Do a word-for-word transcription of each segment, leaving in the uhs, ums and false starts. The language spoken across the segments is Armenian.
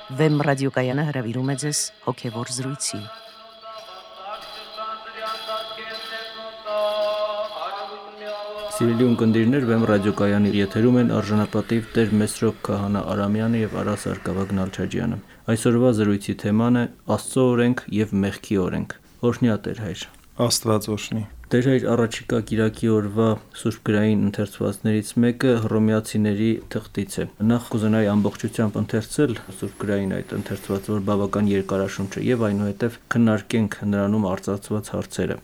Վեմ ռադիոկայանը հրավիրում է ձեզ հոգևոր զրույցի։ Սիրելի ունկնդիրներ, Վեմ ռադիոկայանի եթերում են արժանապատիվ Տեր Մեսրոպ Քահանա Արամյանը եւ Արա Սարգսակյան Նալչաջյանը։ Այսօրվա զրույցի թեման է Աստծո օրենք եւ մեղքի օրենք։ Օրհնյա Տեր հայր։ Աստված օրհնի։ Տեր հայր, առաջիկա կիրակի օրվա Սուրբ գրային ընթերցվածներից մեկը Հռոմեացիների թղթից է։ Նախ կուզենայի ամբողջությամբ ընթերցել Սուրբ գրային այդ ընթերցվածը, որ բավական երկարաշունչ է, եւ այնուհետև քննարկենք նրանում արծարծված հարցերը։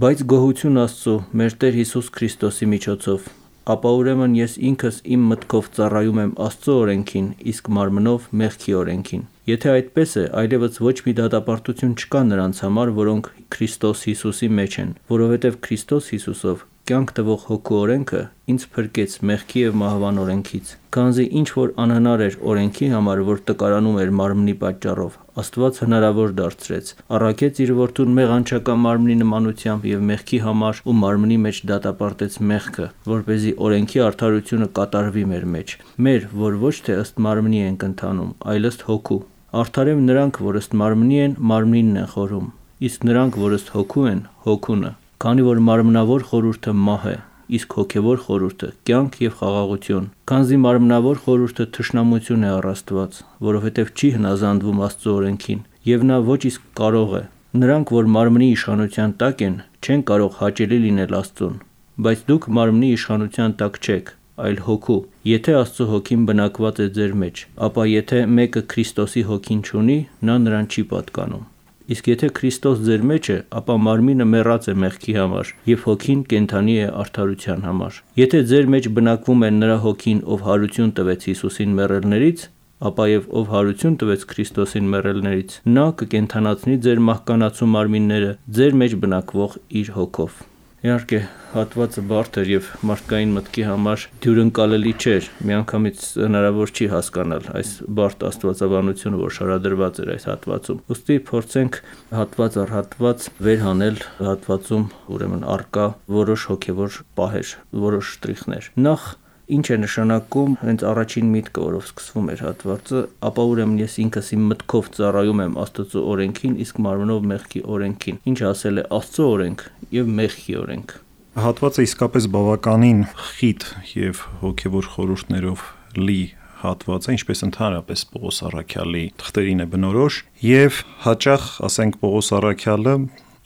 Բայց գոհություն Աստծո, մեր Տեր Հիսուս Քրիստոսի միջոցով, ապա ուրեմն ես ինքս իմ մտքով ծառայում եմ Աստծո օրենքին, իսկ մարմնով մեղքի օրենքին։ Եթե այդպես է, այլևս ոչ մի դատապարտություն չկա նրանց համար, որոնք Քրիստոս Հիսուսի մեջ են, որովհետև Քրիստոս Հիսուսով կյանք տվող հոգու օրենքը ինձ փրկեց մեղքի եւ մահվան օրենքից։ Քանզի ինչ որ անհնար էր օրենքի համար, որ տկարանում էր մարմնի պատճառով, Աստված հնարավոր դարձրեց, առաքեց իր որդուն մեղանչական մարմնի նմանությամբ եւ մեղքի համար ու մարմնի մեջ դատապարտեց մեղքը, որպեսզի օրենքի արդարությունը կատարվի մեր մեջ։ Մեր, որ ոչ թե ըստ մարմնի ենք ընթանում, այլ ըստ հոգու։ Արդարև նրանք, որ ըստ մարմնի են, մարմնինն են խորհում, իսկ նրանք, որ ըստ հոգու են, հոգունը։ Քանի որ մարմնավոր խորհուրդը մահ է, իսկ հոգևոր խորհուրդը կյանք եւ խաղաղություն։ Քանզի մարմնավոր խորհուրդը թշնամություն է առ Աստված, որովհետև չի հնազանդվում Աստծո օրենքին, եւ նա ոչ իսկ կարող է։ Նրանք, որ մարմնի իշխանության տակ են, չեն կարող հաճելի լինել Աստծուն, բայց դուք մարմնի իշխանության տակ չեք, այլ հոգու։ Եթե Աստծո հոգին բնակված է ձեր մեջ, ապա եթե մեկը Քրիստոսի հոգին չունի, նա նրան չի պատկանում։ Իսկ եթե Քրիստոս ձեր մեջ է, ապա մարմինը մեռած է մեղքի համար, եւ հոգին կենդանի է արդարության համար։ Եթե ձեր մեջ բնակվում է նրա հոգին, ով հարություն տվեց Հիսուսին մեռելներից, ապա եւ ով հարություն տվեց Քրիստոսին մեռելներից, նա կկենդանացնի ձեր մահկանացու մարմինները ձեր մեջ բնակվող իր հոգով։ Իհարկե, հատվածը բարդ էր եւ մարդկային մտքի համար դյուրընկալելի չէր։ Միանգամից հնարավոր չի հասկանալ այս բարդ աստվածաբանությունը, որ շարադրված էր այս հատվածում։ Ուստի փորձենք հատված առ հատված վերհանել հատվածում ուրեմն արկա որոշ հոգեվոր պահեր, որոշ շտրիխներ։ Նախ ինչ է նշանակում հենց առաջին միտքը, որով սկսվում էր հատվածը, ապա ուրեմն ես ինքս իմ մտքով ծառայում եմ Աստծո օրենքին, իսկ մարմնով մեղքի օրենքին։ Ինչ ասել է Աստծո օրենք եւ մեղքի օրենք։ Հատվածը իսկապես բավականին խիտ եւ հոգեվոր խորհուրդներով լի հատված է, ինչպես ընդհանրապես Պողոս Առաքյալի թղթերին է բնորոշ, եւ հաճախ, ասենք, Պողոս Առաքյալը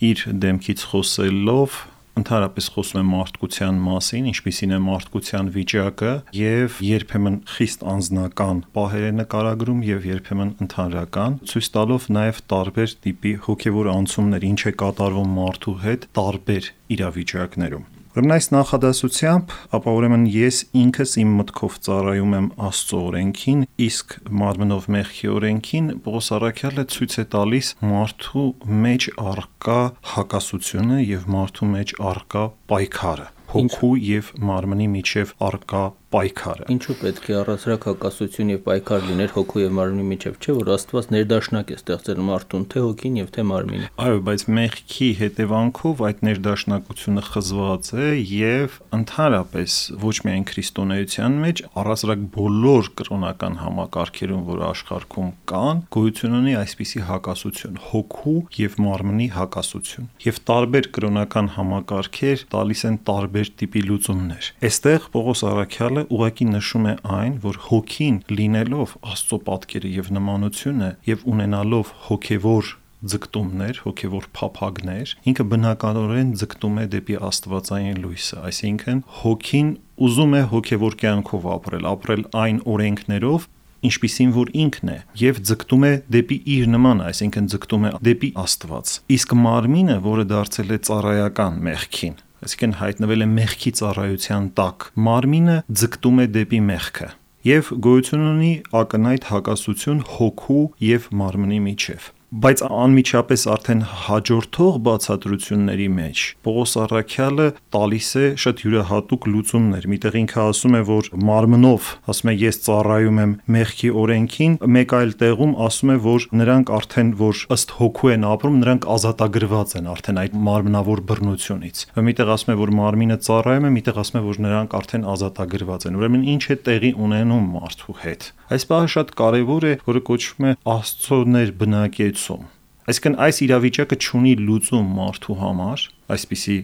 իր դեմքից խոսելով ընդհանրապես խոսում է մարդկության մասին, ինչպիսին է մարդկության վիճակը, եւ երբեմն խիստ անձնական պահեր է նկարագրում եւ երբեմն ընդհանրական, ցույց տալով նաեւ տարբեր տիպի հոգեվոր անցումներ, ինչ է կատարվում մարդու հետ տարբեր իրավիճակներում։ Ուրեմն այս նախադասությամբ, ապա ուրեմն ես ինքս իմ մտքով ծառայում եմ Աստծո օրենքին, իսկ մարմնով մեղքի օրենքին, Պողոս Առաքյալը ցույց է տալիս մարդու մեջ առկա հակասությունը եւ մարդու մեջ առկա պայքարը, հոգու եւ մարմնի միջև առկա պայքարը։ Ինչու պետք է առասարակ հակասություն եւ պայքար լիներ հոգու եւ մարմնի միջև, չէ՞ որ Աստված ներդաշնակ է ստեղծել մարդուն, թե հոգին եւ թե մարմինը։ Այո, բայց մեղքի հետևանքով այդ ներդաշնակությունը խզված է եւ ընդհանրապես ոչ միայն քրիստոնեության մեջ, առասարակ բոլոր կրոնական համակարգերում, որ աշխարհում կան, գոյություն ունի այսպիսի հակասություն՝ հոգու եւ մարմնի հակասություն։ Եվ տարբեր կրոնական համակարգեր տալիս են տարբեր տիպի լուծումներ։ Այստեղ Պողոս Առաքյալը ուղղակի նշում է այն, որ հոգին լինելով Աստծո պատկերը եւ նմանությունը եւ ունենալով հոգեվոր ձգտումներ, հոգեվոր փափագներ, ինքը բնականորեն ձգտում է դեպի աստվածային լույսը, այսինքն հոգին ուզում է հոգեվոր կյանքով ապրել, ապրել այն օրենքներով, ինչպիսին որ ինքն է, եւ ձգտում է դեպի իր նմանը, այսինքն ձգտում է դեպի Աստված։ Իսկ մարմինը, որը դարձել է ծառայական մեղքին, այսինքն հայտնվել է մեղքի ծառայության տակ, մարմինը ձգտում է դեպի մեղքը եւ գոյություն ունի ակնհայտ հակասություն հոգու եւ մարմնի միջև։ Բայց անմիջապես արդեն հաջորդող բացատրությունների մեջ Պողոս առաքյալը տալիս է շատ յուրահատուկ լուծումներ։ Միտեղ ինքը ասում է, որ մարմնով, ասում է, ես ծառայում եմ մեղքի օրենքին, մեկ այլ տեղում ասում է, որ նրանք արդեն, որ ըստ հոգու են ապրում, նրանք ազատագրված են արդեն այդ մարմնավոր բռնությունից։ Միտեղ ասում է, որ մարմինը ծառայում է, միտեղ ասում է, որ նրանք արդեն ազատագրված են։ Ուրեմն ինչ է տեղի ունենում մարդու հետ։ Այս բանը շատ կարևոր է, որը կոչվում է Աստծո ներբնակեցում։ Այսինքն այս իրավիճակը չունի լուծում մարդու համար, այսպիսի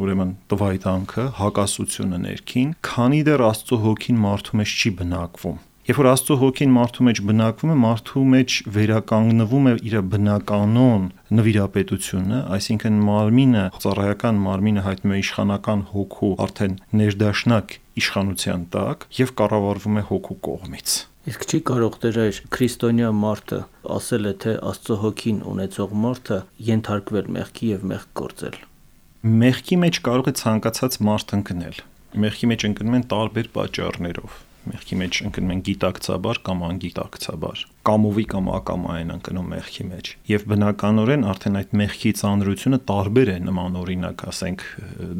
ուրեմն տվայտանքը, հակասությունը ներքին, քանի դեռ Աստծո հոգին մարդու մեջ չի բնակվում։ Երբ որ Աստծո հոգին մարդու մեջ բնակվում է, մարդու մեջ վերականգնվում է իր բնականon նվիրապետությունը, այսինքն մարմինը, ծառայական մարմինը հայտնում է իշխանական հոգու արդեն ներդաշնակ իշխանության տակ եւ կառավարվում է հոգու կողմից։ Իսկ չի կարող դեր քրիստոնյա մարդը ասել է, թե Աստծո հոգին ունեցող մարդը ենթարկվել մեղքի եւ մեղք գործել։ Մեղքի մեջ կարող է ցանկացած մարդ ընկնել։ Մեղքի մեջ ընկնում են տարբեր պատճառներով։ Մեղքի մեջ ընկնում են գիտակցաբար կամ անգիտակցաբար, կամովի կամ ակամային ընկնում մեղքի մեջ։ Եվ բնականորեն արդեն այդ մեղքի ծանրությունը տարբեր է նման օրինակ, ասենք,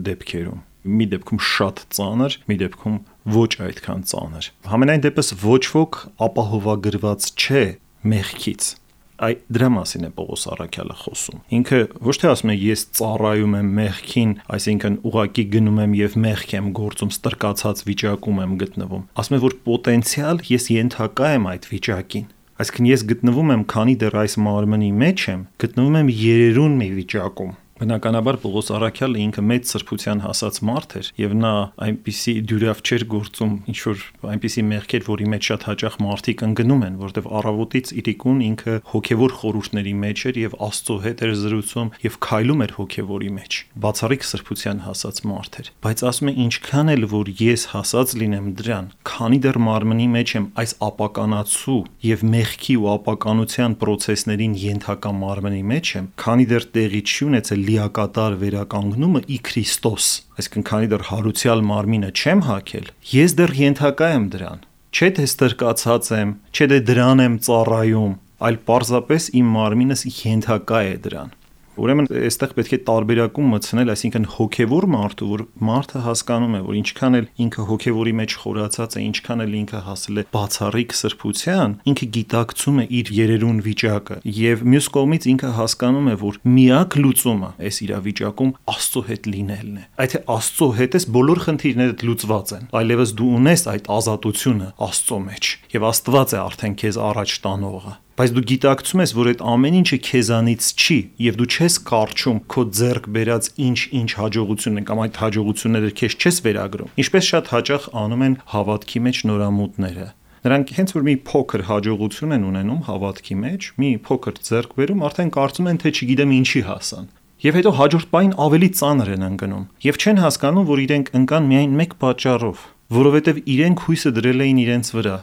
դեպքերում։ Մի դեպքում շատ ծանր, մի դեպքում ոչ այդքան ծանր։ Համենայն դեպս ոչ ոք ապահովագրված չէ մեղքից։ Այդ դրա մասին է Պողոս առաքյալը խոսում։ Ինքը ոչ թե ասում է ես ծառայում եմ մեղքին, այսինքն ուղակի գնում եմ եւ մեղք եմ գործում, ստրկացած վիճակում եմ գտնվում։ Ասում է, որ պոտենցիալ ես ենթակա եմ այդ վիճակին։ Այսինքն ես գտնվում եմ, քանի դեռ այս մարմնի մեջ եմ, գտնվում եմ երերուն մի վիճակում։ Բնականաբար Պողոս առաքյալը ինքը մեծ սրբության հասած մարդ էր եւ նա այնպիսի դյուրավ չէր գործում, ինչ որ այնպիսի մեղքեր, որի մեջ շատ հաճախ մարդիկ ընկնում են, որտեղ առավոտից իրիկուն ինքը հոգեվոր խորհուրդների մեջ էր եւ Աստծո հետ էր զրուցում եւ քայլում էր հոգեվորի մեջ։ Բացառիկ սրբության հասած մարդ էր։ Բայց ասում է, ինչքան էլ որ ես հասած լինեմ դրան, քանի դեռ մարմնի մեջ եմ այս ապականացու եւ մեղքի ու ապականության process-ներին ենթակա մարմնի մեջ եմ, քանի դեռ տեղի չի ունեցել լիակատար վերականգնումը ի Քրիստոս, այսինքն քանի դեռ հարուցյալ մարմինը չեմ հագել, ես դեռ ենթակա եմ դրան, չէ թե ստրկացած եմ, չէ թե դրան եմ ծառայում, այլ պարզապես իմ մարմինս ենթակա է դրան։ Ուրեմն այստեղ պետք է տարբերակում մտցնել, այսինքն հոգևոր մարդու, որ մարդը հասկանում է, որ ինչքան էլ ինքը հոգևորի մեջ խորացած է, ինչքան էլ ինքը հասել է բացառիկ սրբության, ինքը գիտակցում է իր երերուն վիճակը եւ մյուս կողմից ինքը հասկանում է, որ միակ լուծումը այս իրավիճակում Աստծո հետ լինելն է։ Այդ թե Աստծո հետ ես բոլոր խնդիրներդ լուծված են, այլևս դու ունես այդ ազատությունը Աստծո մեջ եւ Աստված է արդեն քեզ առաջ տանողը։ Բայց դու գիտակցում ես, որ այդ ամեն ինչը քեզանից չի եւ դու չես կարճում քո ձեռք բերած ինչ-ինչ հաջողություն են կամ այդ հաջողությունները քեզ չես վերագրում։ Ինչպես շատ հաճախ անում են հավատքի մեջ նորամուտները։ Նրանք հենց որ մի փոքր հաջողություն են ունենում հավատքի մեջ, մի փոքր ձեռք բերում, արդեն կարծում են, թե չգիտեմ ինչի հասան։ Եվ հետո հաջորդ պահին ավելի ծանր են ընկնում եւ չեն հասկանում, որ իրենք ընկան միայն մեկ պատճառով, որովհետեւ իրենք հույսը դրել էին իրենց վրա։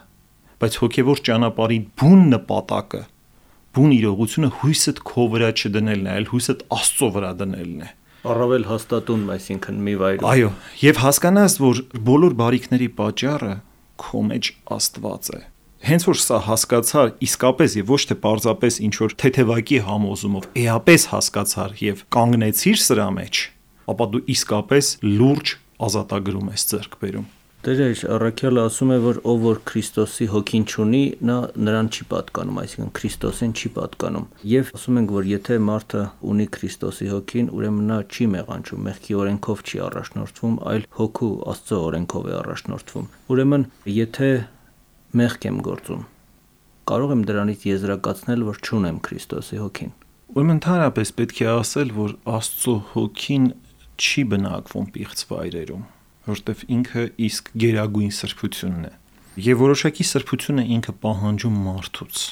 Բայց հոգևոր ճանապարհի բուն նպատակը, բուն իրողությունը հույսդ քո վրա չդնելն է, այլ հույսդ Աստծո վրա դնելն է։ Առավել հաստատուն, այսինքն մի վայրում։ Այո, եւ հասկանաս, որ բոլոր բարիքների պատճառը քո մեջ Աստված է։ Հենց որ սա հասկացար, իսկապես եւ ոչ թե պարզապես ինչ որ թեթևակի համոզումով, էապես հասկացար եւ կանգնեցիր սրա մեջ, ապա դու իսկապես լուրջ ազատագրում ես ձեռք բերում։ Տեր առաքյալը ասում է, որ ով որ Քրիստոսի հոգին չունի, նա նրան չի պատկանում, այսինքն Քրիստոսին չի պատկանում։ Եվ ասում ենք, որ եթե մարդը ունի Քրիստոսի հոգին, ուրեմն նա չի մեղանչում, մեղքի օրենքով չի առաջնորդվում, այլ հոգու Աստծո օրենքով է առաջնորդվում։ Ուրեմն, եթե մեղք եմ գործում, կարող եմ դրանից եզրակացնել, որ չունեմ Քրիստոսի հոգին։ Ուրեմն ընդհանրապես պետք է ասել, որ Աստծո հոգին չի բնակվում պիղծ վայրերում, որտեվ ինքը իսկ գերագույն սրբությունն է եւ որոշակի սրբությունը ինքը պահանջում մարդուց։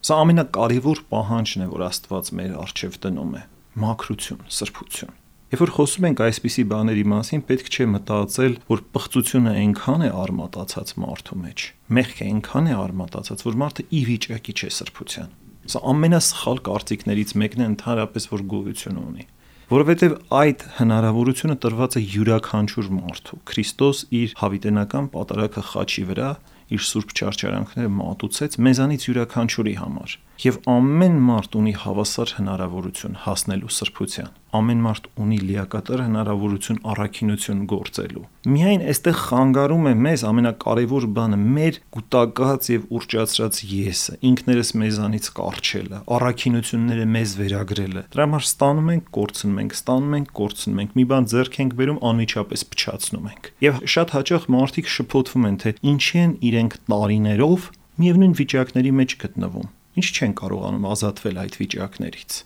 Սա ամենակարևոր պահանջն է, որ Աստված մեր առջև դնում է՝ մաքրություն, սրբություն։ Երբ որ խոսում ենք այսպիսի բաների մասին, պետք չէ մտածել, որ պղծությունը այնքան է արմատացած մարդու մեջ, մեղքը այնքան է արմատացած, որ մարդը ի վիճակի չէ սրբության։ Սա ամենասխալ կարծիքներից մեկն է ընդհանրապես, որ գոյություն ունի։ Որովհետև այդ հնարավորությունը տրված է յուրաքանչյուր մարդու։ Քրիստոս իր հավիտենական պատարագը խաչի վրա իր սուրբ չարչարանքները մատուցեց մեզանից յուրաքանչյուրի համար։ Եվ ամեն մարդ ունի հավասար հնարավորություն հասնելու սրբության։ Ամեն մարդ ունի լիակատար հնարավորություն առաքինություն գործելու։ Միայն այստեղ խանգարում է մեզ ամենակարևոր բանը մեր կուտակած եւ ուռճացրած եսը, ինքներս մեզանից կառչելը, առաքինությունները մեզ վերագրելը։ Դրա համար ստանում ենք, կորցնում ենք, ստանում ենք, կորցնում ենք, մի բան ձեռք ենք բերում, անմիջապես փչացնում ենք։ Եվ շատ հաճախ մարդիկ շփոթվում են, թե ինչի են իրենք տարիներով միևնույն վիճակների մեջ գտնվում։ Ինչ չեն կարողանում ազատվել այդ վիճակներից։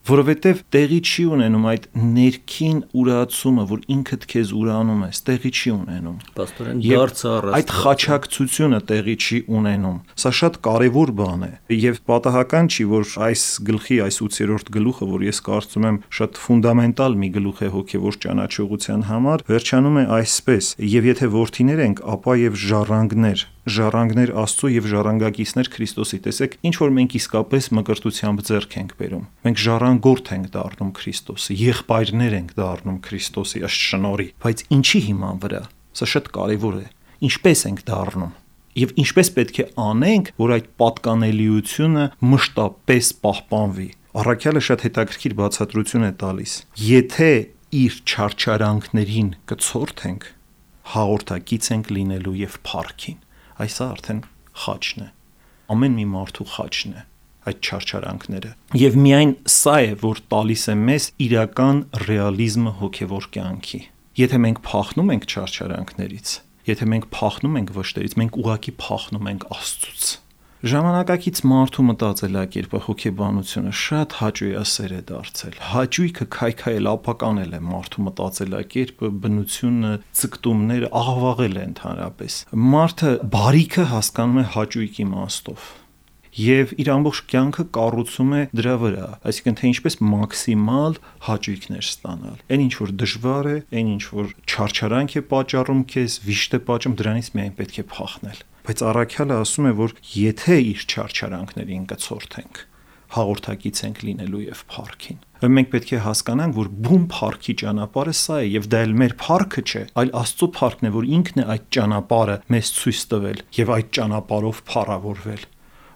Որովհետև տեղի չի ունենում այդ ներքին ուրացումը, որ ինքդ քեզ ուրանում ես, տեղի չի ունենում։ Պաստորեն դարձ առած։ Այդ խաչակցությունը տեղի չի ունենում։ Սա շատ կարևոր բան է։ Եվ պատահական չի, որ այս գլխի, այս ութերորդ գլուխը, որ ես կարծում եմ շատ ֆունդամենտալ մի գլուխ է հոգևոր ճանաչողության համար, վերջանում է այսպես. եւ եթե որդիներ ենք, ապա եւ ժառանգներ, ժառանգներ Աստծո եւ ժառանգակիցներ Քրիստոսի։ Տեսեք, ինչ որ մենք իսկապես մկրտությամբ ձեռք ենք բերում։ Մենք ժառանգորդ ենք դառնում Քրիստոսի, եղբայրներ ենք դառնում Քրիստոսի ըստ շնորհի, բայց ինչի հիման վրա։ Սա շատ կարևոր է։ Ինչպես ենք դառնում։ Եվ ինչպես պետք է անենք, որ այդ պատկանելիությունը մշտապես պահպանվի։ Առաքյալը շատ հետաքրքիր բացատրություն է տալիս։ Եթե իր չարչարանքներին կցորդենք, հաղորդակից ենք լինելու եւ փառքին։ Այս արդեն խաչն է, ամեն մի մարդու խաչն է, այդ չարչարանքները։ Եվ միայն սա է, որ տալիս է մեզ իրական ռեալիզմը հոգևոր կյանքի։ Եթե մենք փախնում ենք չարչարանքներից, եթե մենք փախնում ենք վշտերից, մենք ուղղակի փախնում ենք Աստծուց։ Ժամանակակից մարդու մտածելակերպը, հոգեբանությունը շատ հաճույասեր է դարձել։ Հաճույքը քայքայել, ապականել է մարդու մտածելակերպը, բնությունը, ցկտումները աղավաղել է ընդհանրապես։ Մարդը բարիքը հասկանում է հաճույքի իմաստով եւ իր ամբողջ կյանքը կառուցում է դրա վրա, այսինքն թե ինչպես մաքսիմալ հաճույքներ ստանալ։ Այն ինչ որ դժվար է, այն ինչ որ չարչարանք է պատճառում քեզ, վիշտ է պատճառում, դրանից միայն պետք է փախնել։ Բայց առաքյալը ասում է, որ եթե իր չարչարանքներին կցորդենք, հաղորդակից ենք լինելու եւ փառքին։ Մենք պետք է հասկանանք, որ բուն փառքի ճանապարհը սա է եւ դա էլ մեր փառքը չէ, այլ Աստծո փառքն է, որ ինքն է այդ ճանապարհը մեզ ցույց տվել եւ այդ ճանապարհով փառավորվել։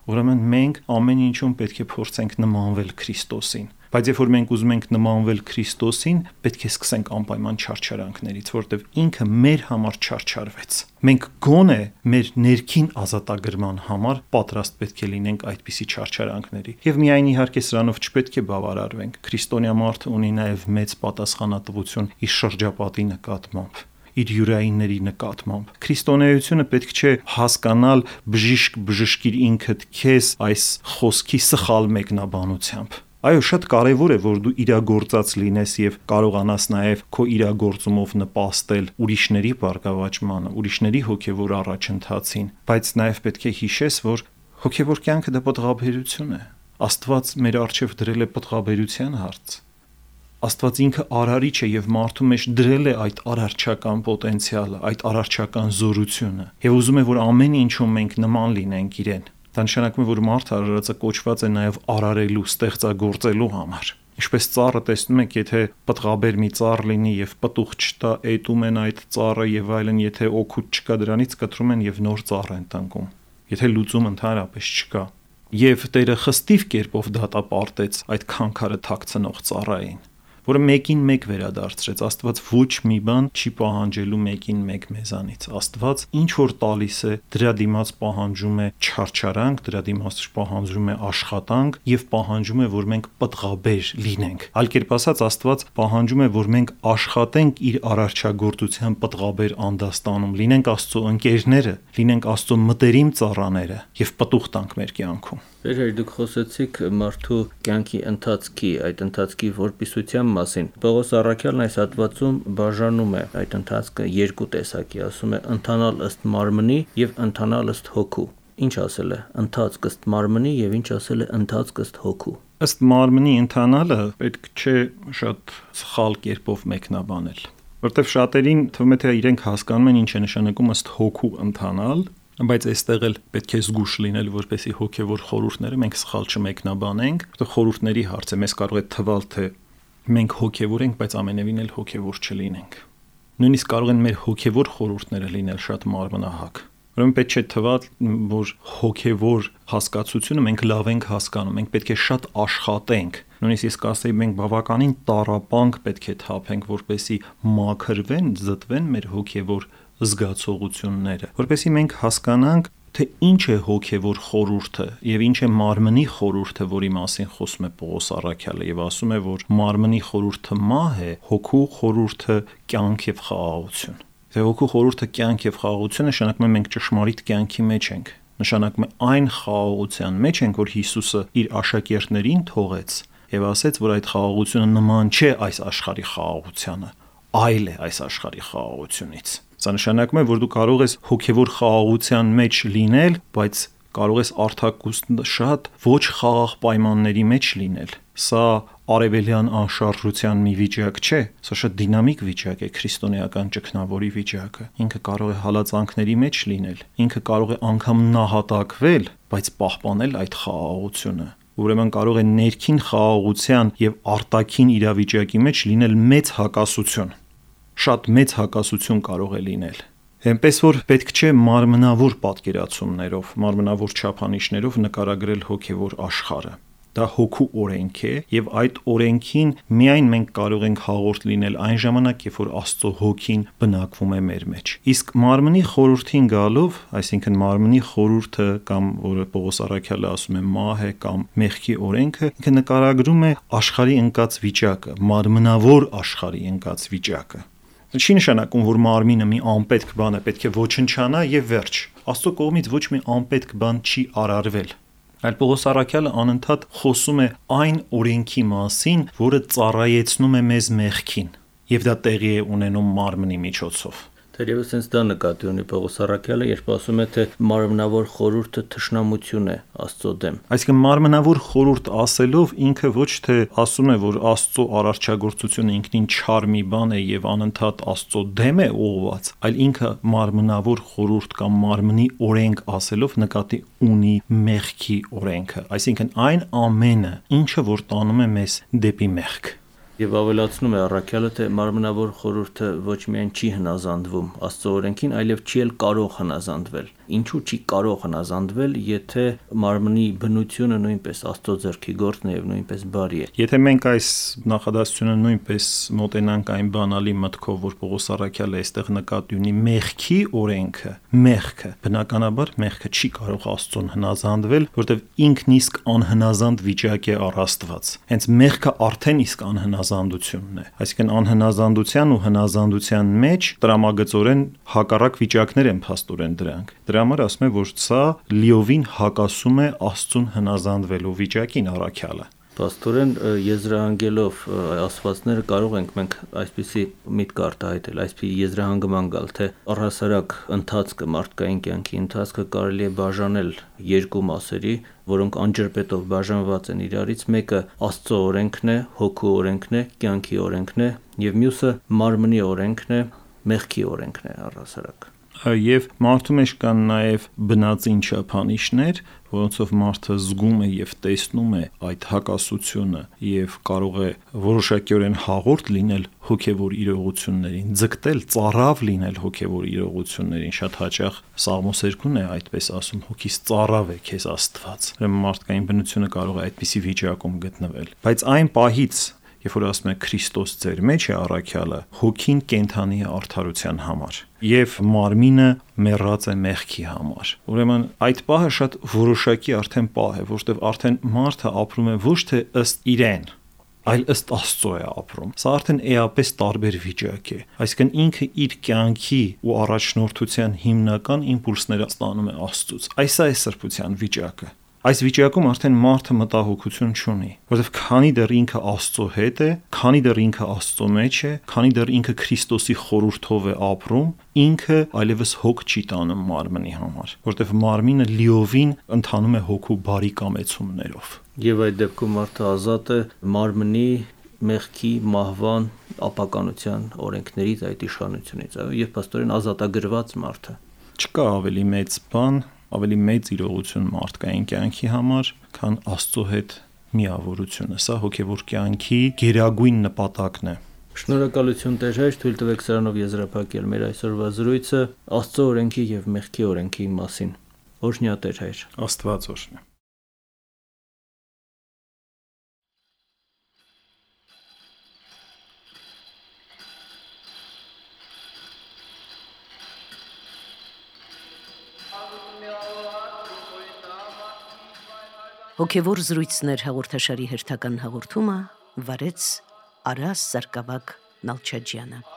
Ուրեմն մենք ամեն ինչում պետք է փորձենք նմանվել Քրիստոսին։ Բայց երբ որ մենք ուզում ենք նմանվել Քրիստոսին, պետք է սկսենք անպայման չարչարանքներից, որտեղ ինքը մեր համար չարչարվեց։ Մենք գոնե մեր ներքին ազատագրման համար պատրաստ պետք է լինենք այդպիսի չարչարանքների։ Եվ միայն իհարկե սրանով չպետք է բավարարվենք։ Քրիստոնյա մարդը ունի նաև մեծ պատասխանատվություն իր շրջապատի նկատմամբ, իր յուրայինների նկատմամբ։ Քրիստոնեությունը պետք չէ հասկանալ բժիշկ բժշկիր ինքդ քեզ այս խոսքի սխալ մեկնաբանությամբ։ Այո, շատ կարևոր է, որ դու իրագործած լինես եւ կարողանաս նաեւ քո իրագործումով նպաստել ուրիշների բարգավաճմանը, ուրիշների հոգեվոր առաջընթացին, բայց նաեւ պետք է հիշես, որ հոգեվոր կյանքը դա պատղաբերություն է։ Աստված մեր առջև դրել է պատղաբերության հարց։ Աստված ինքը արարիչ է եւ մարդու մեջ դրել է այդ արարչական պոտենցիալը, այդ արարչական զորությունը եւ ուզում է, որ ամեն ինչում մենք նման լինենք իրեն։ Դա նշանակում է, որ մարդը արարածը կոչված է նաեւ արարելու, ստեղծագործելու համար։ Ինչպես ծառը տեսնում եք, եթե պտղաբեր մի ծառ լինի եւ պտուղ չտա, էտում են այդ ծառը եւ այլն, եթե օգուտ չկա դրանից կտրում են եւ նոր ծառ են տնկում։ Եթե լուծում ընդհանրապես չկա։ Եվ Տերը խստիվ կերպով դատապարտեց այդ քանքարը թաքցնող ծառային, որը մեկին մեկ վերադարձրեց։ Աստված ոչ մի բան չի պահանջելու մեկին մեկ մեզանից։ Աստված ինչ որ տալիս է, դրա դիմաց պահանջում է չարչարանք, դրա դիմաց պահանջում է աշխատանք եւ պահանջում է, որ մենք պտղաբեր լինենք։ Այլ կերպ ասած, Աստված պահանջում է, որ մենք աշխատենք իր արարչագործության պտղաբեր անդաստանում, լինենք Աստծո ընկերները, լինենք Աստծո մտերիմ ծառաները եւ պտուղ տանք մեր կյանքում։ Վերհեր դուք խոսեցիք մարդու կյանքի ընթացքի, այդ ընթացքի որպիսության մասին։ Պողոս առաքյալն այս հատվածում բաժանում է այդ ընթացքը երկու տեսակի, ասում է ընթանալ ըստ մարմնի եւ ընթանալ ըստ հոգու։ Ինչ ասել է ընթացք ըստ մարմնի եւ ինչ ասել է ընթացք ըստ հոգու։ Ըստ մարմնի ընթանալը պետք չէ շատ սխալ կերպով մեկնաբանել, որտեղ շատերին թվում է թե իրենք հասկանում են ինչ է նշանակում ըստ հոգու ընթանալ, բայց այստեղ էլ պետք է զգուշ լինել, որպեսզի հոգևոր խորհուրդները մենք սխալ չմեկնաբանենք, որտեղ խորհուրդների հարց է, մեզ կարող է թվալ, թե մենք հոգևոր ենք, բայց ամենևին էլ հոգևոր չլինենք։ Նույնիսկ կարող են մեր հոգևոր խորհուրդները լինել շատ մարմնահակ, Ուրեմն պետք չէ թվա, որ հոգևոր հասկացությունը մենք լավ ենք հասկանում, մենք պետք է շատ աշխատենք։ Նույնիսկ ես կասեի, մենք բավականին տառապանք պետք է թափենք, որպեսզի մաքրվեն, զտվեն մեր հոգևոր զգացողությունները, որպեսզի մենք հասկանանք, թե ինչ է հոգևոր խորհուրդը եւ ինչ է մարմնի խորհուրդը, որի մասին խոսում է Պողոս առաքյալը եւ ասում է, որ մարմնի խորհուրդը մահ է, հոգու խորհուրդը կյանք եւ խաղաղություն։ Թե հոգու խորհուրդը կյանք եւ խաղաղություն նշանակում է մենք ճշմարիտ կյանքի մեջ ենք, նշանակում է այն խաղաղության մեջ ենք, որ Հիսուսը իր աշակերտներին թողեց եւ ասեց, որ այդ խաղաղությունը նման չէ այս աշխարհի խաղաղությանը, այլ է այս աշխարհի խաղաղությունից։ Սա նշանակում է, որ դու կարող ես հոգևոր խաղաղության մեջ լինել, բայց կարող ես արդակուստ շատ ոչ խաղաղ պայմանների մեջ լինել։ Սա արևելյան անշարժության մի վիճակ չէ, սա շատ դինամիկ վիճակ է, քրիստոնեական ճգնավորի վիճակը։ Ինքը կարող է հալածանքների մեջ լինել, ինքը կարող է անգամ նահատակվել, բայց պահպանել այդ խաղաղությունը։ Ուրեմն կարող է ներքին խաղաղության եւ արտաքին իրավիճակի մեջ լինել մեծ հակասություն։ Շատ մեծ հակասություն կարող է լինել։ Այնպես որ պետք չէ մարմնավոր պատկերացումներով, մարմնավոր չափանիշներով նկարագրել հոգևոր աշխարհը։ Դա հոգու օրենք է եւ այդ օրենքին միայն մենք կարող ենք հաղորդ լինել այն ժամանակ, երբ որ Աստծո հոգին բնակվում է մեր մեջ։ Իսկ մարմնի խորհրդին գալով, այսինքն մարմնի խորհուրդը կամ որը Պողոս առաքյալը ասում է մահ է կամ մեղքի օրենքը, ինքը նկարագրում է աշխարհի ընկած վիճակը, մարմնավոր աշխարհի ընկած վիճակը։ Չի նշանակում, որ մարմինը մի անպետք բան է, պետք է ոչնչանա եւ վերջ։ Աստծո կողմից ոչ մի անպետք բան չի արարվել։ Այլ Պողոս առաքյալը անընդհատ խոսում է այն օրենքի մասին, որը ծառայեցնում է մեզ մեղքին, եւ դա տեղի է ունենում մարմնի միջոցով։ Թերևս հենց դա նկատի ունի Պողոս առաքյալը, երբ ասում է, թե մարմնավոր խորհուրդը թշնամություն է Աստծո դեմ։ Այսինքն մարմնավոր խորհուրդ ասելով ինքը ոչ թե ասում է, որ Աստծո արարչագործությունը ինքնին չար մի բան է եւ անընդհատ Աստծո դեմ է ուղղված, այլ ինքը մարմնավոր խորհուրդ կամ մարմնի օրենք ասելով նկատի ունի մեղքի օրենքը, այսինքն այն ամենը, ինչը որ տանում է մեզ դեպի մեղք։ Եվ ավելացնում է առաքյալը, թե մարմնավոր խորհուրդը ոչ միայն չի հնազանդվում Աստծո օրենքին, այլև չի էլ կարող հնազանդվել։ Ինչու չի կարող հնազանդվել, եթե մարմնի բնությունը նույնպես Աստծո ձեռքի գործն է եւ նույնպես բարի է։ Եթե մենք այս նախադասությունը նույնպես մոտենանք այն բանալի մտքով, որ Պողոս առաքյալը այստեղ նկատի ունի մեղքի օրենքը, մեղքը, բնականաբար մեղքը չի կարող Աստծուն հնազանդվել, որտեղ ինքն իսկ անհնազանդ վիճակ է առ Աստված։ Հենց մեղքը արդեն իսկ անհնազանդությունն է։ Այսինքն անհնազանդության ու հնազանդության մեջ տրամագծորեն հակառակ վիճակներ են փաստորեն դրանք։ Դրա համար ասում է, որ սա լիովին հակասում է Աստծուն հնազանդվելու վիճակին առաքյալը։ Պաստորեն եզրահանգելով ասվածները կարող ենք մենք այսպիսի միտք արտահայտել, այսպիսի եզրահանգման գալ, թե առհասարակ ընթացքը, մարդկային կյանքի ընթացքը կարելի է բաժանել երկու մասերի, որոնք անջրպետով բաժանված են իրարից, մեկը Աստծո օրենքն է, հոգու օրենքն է, կյանքի օրենքն է, եւ մյուսը մարմնի օրենքն է, մեղքի օրենքն է առհասարակ։ Եվ մարդու մեջ կան նաև բնածին չափանիշներ, որոնցով մարդը զգում է եւ տեսնում է այդ հակասությունը եւ կարող է որոշակիորեն հաղորդ լինել հոգեվոր իրողություններին, ձգտել, ծառավ լինել հոգեվոր իրողություններին։ Շատ հաճախ Սաղմոսերկուն է այդպես ասում. հոգիս ծառավ է քեզ Աստված։ Ուրեմն մարդկային բնությունը կարող է այդպիսի վիճակում գտնվել։ Բայց այն պահից, երբ որ ասում է Քրիստոս ձեր մեջ է առաքյալը, հոգին կենթանի է արդարության համար եւ մարմինը մեռած է մեղքի համար։ Ուրեմն այդ պահը շատ որոշակի արդեն պահ է, որտեղ արդեն մարդը ապրում է ոչ թե ըստ իրեն, այլ ըստ Աստծո է ապրում։ Սա արդեն էապես տարբեր վիճակ է։ Այսինքն ինքը իր կյանքի ու առաջնորդության հիմնական իմպուլսները ստանում է Աստծուց։ Այս է սրբության վիճակը։ Այս վիճակում արդեն մարդը մտահոգություն չունի, որովհետև քանի դեռ ինքը Աստծո հետ է, քանի դեռ ինքը Աստծո մեջ է, քանի դեռ ինքը Քրիստոսի խորհրդով է ապրում, ինքը այլևս հոգ չի տանում մարմնի համար, որովհետև մարմինը լիովին ընթանում է հոգու բարի կամեցումներով։ Եվ այդ դեպքում մարդը ազատ է մարմնի, մեղքի, մահվան, ապականության օրենքներից, այդ իշխանությունից, այո, եւ փաստորեն ազատագրված մարդը։ Չկա ավելի մեծ բան, ավելի մեծ իրողություն մարդկային կյանքի համար, քան Աստծո հետ միավորությունը։ Սա հոգևոր կյանքի գերագույն նպատակն է։ Շնորհակալություն Տեր հայր, թույլ տվեք սրանով եզրափակել մեր այսօրվա զրույցը Աստծո օրենքի եւ մեղքի օրենքի մասին։ Օրհնյա Տեր հայր։ Աստված օրհնի։ Հոգևոր զրույցներ հաղորդաշարի հերթական հաղորդումը վարեց Արաս Սարգսակ Նալչաջյանը։